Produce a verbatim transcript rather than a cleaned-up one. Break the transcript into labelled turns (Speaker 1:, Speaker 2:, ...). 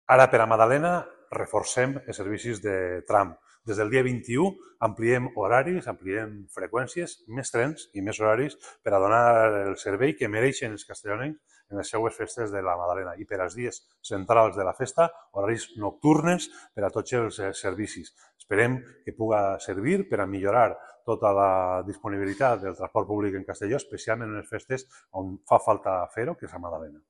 Speaker 1: Ara, per a Madalena, reforcem els servicis de tram. Des del dia vint-i-u ampliem horaris, ampliem freqüències, més trens i més horaris per a donar el servei que mereixen els castellonencs en les seues festes de la Madalena. I per als dies centrals de la festa, horaris nocturnes per a tots els servicis. Esperem que puga servir per a millorar tota la disponibilitat del transport públic en Castelló, especialment en les festes on fa falta fer-ho, que és a Madalena.